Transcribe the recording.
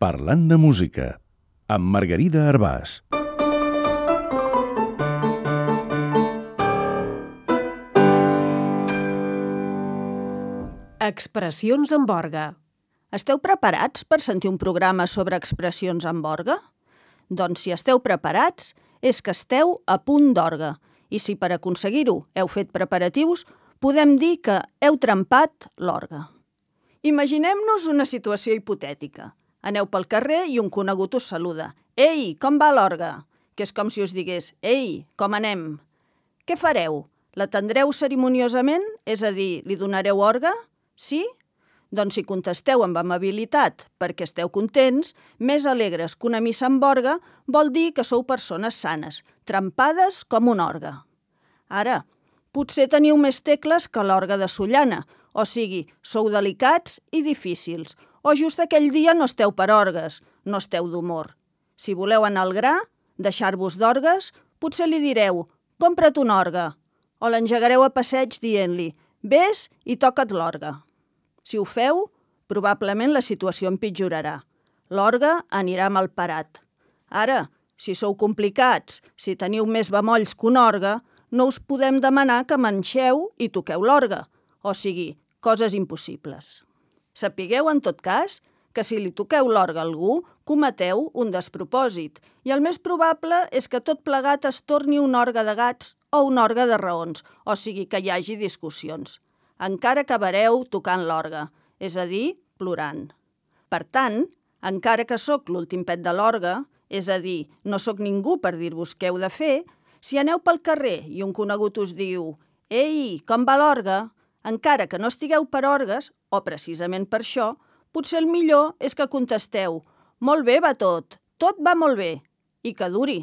Parlant de música, amb Margarida Arbàs. Expressions amb orgue. Esteu preparats per sentir un programa sobre expressions amb orgue? Doncs si esteu preparats, és que esteu a punt d'orgue. I si per aconseguir-ho heu fet preparatius, podem dir que heu trempat l'orgue. Imaginem-nos una situació hipotètica. Aneu pel carrer i un conegut us saluda. «Ei, com va l'orgue?» Que és com si us digués «Ei, com anem?» Què fareu? L'atendreu cerimoniosament? És a dir, li donareu orgue? Sí? Doncs si contesteu amb amabilitat perquè esteu contents, més alegres que una missa amb orgue, vol dir que sou persones sanes, trempades com un orgue. Ara, potser teniu més tecles que l'orgue de Sollana, o sigui, sou delicats i difícils, o just aquell dia no esteu per orgues, no esteu d'humor. Si voleu anar al gra, deixar-vos d'orgues, potser li direu «compra't un orgue», o l'engegareu a passeig dient-li «vés i toca't l'orgue». Si ho feu, probablement la situació empitjorarà. L'orgue anirà mal parat. Ara, si sou complicats, si teniu més bemolls que un orgue, no us podem demanar que manxeu i toqueu l'orgue, o sigui, coses impossibles. Sapigueu, en tot cas, que si li toqueu l'orgue a algú, cometeu un despropòsit, i el més probable és que tot plegat es torni un orgue de gats o un orgue de raons, o sigui, que hi hagi discussions. Encara acabareu tocant l'orgue, és a dir, plorant. Per tant, encara que sóc l'últim pet de l'orgue, és a dir, no sóc ningú per dir-vos què heu de fer, si aneu pel carrer i un conegut us diu «Ei, com va l'orgue?», encara que no estigueu per orgues, o precisament per això, potser el millor és que contesteu «Molt bé va tot va molt bé», i que duri.